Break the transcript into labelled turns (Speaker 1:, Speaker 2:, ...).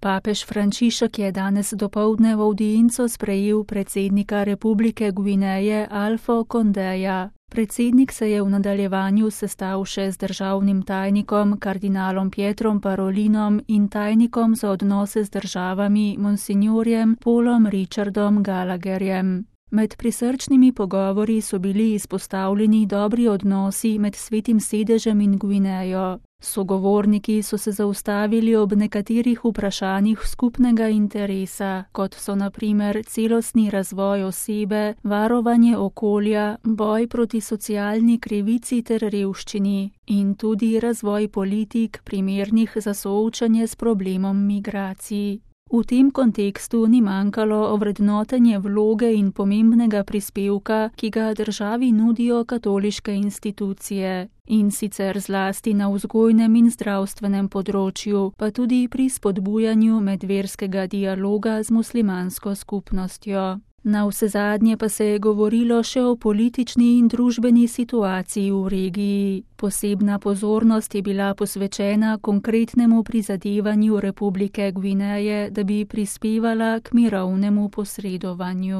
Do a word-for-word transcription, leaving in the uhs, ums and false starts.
Speaker 1: Papež Frančišek je danes dopoldne v avdienco sprejel predsednika Republike Gvineje Alfo Kondeja. Predsednik se je v nadaljevanju sestal še z državnim tajnikom kardinalom Pietrom Parolinom in tajnikom za odnose z državami monsignorjem Paulom Richardom Gallagherjem. Med prisrčnimi pogovori so bili izpostavljeni dobri odnosi med Svetim sedežem in Gvinejo. Sogovorniki so se zaustavili ob nekaterih vprašanjih skupnega interesa, kot so na primer celostni razvoj osebe, varovanje okolja, boj proti socialni krivici ter revščini in tudi razvoj politik primernih za soočanje s problemom migracij. V tem kontekstu ni manjkalo ovrednotenje vloge in pomembnega prispevka, ki ga državi nudijo katoliške institucije, in sicer zlasti na vzgojnem in zdravstvenem področju, pa tudi pri spodbujanju medverskega dialoga z muslimansko skupnostjo. Navsezadnje pa se je govorilo še o politični in družbeni situaciji v regiji. Posebna pozornost je bila posvečena konkretnemu prizadevanju Republike Gvineje, da bi prispevala k mirovnemu posredovanju.